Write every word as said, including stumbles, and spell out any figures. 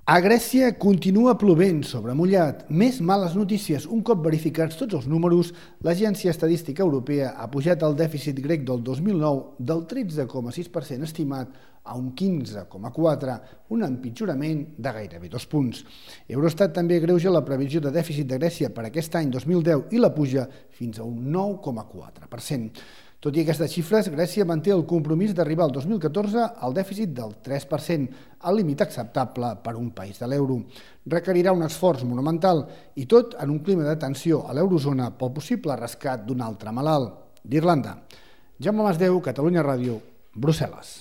A Grècia continua plovent sobre mullat. Més males notícies. Un cop verificats tots els números, l'Agència Estadística Europea ha pujat el dèficit grec del dos mil nou del tretze coma sis per cent estimat a un quinze coma quatre per cent, un empitjorament de gairebé dos punts. Eurostat també agreuja la previsió de dèficit de Grècia per aquest any dos mil deu i la puja fins a un nou coma quatre per cent. Tot i aquestes xifres, Grècia manté el compromís d'arribar al dos mil catorze al dèficit del tres per cent, el límit acceptable per a un país de l'euro. Requerirà un esforç monumental i tot en un clima de tensió a l'eurozona pel possible rescat d'un altre malalt, d'Irlanda. Jaume Masdeu, Catalunya Ràdio, Brussel·les.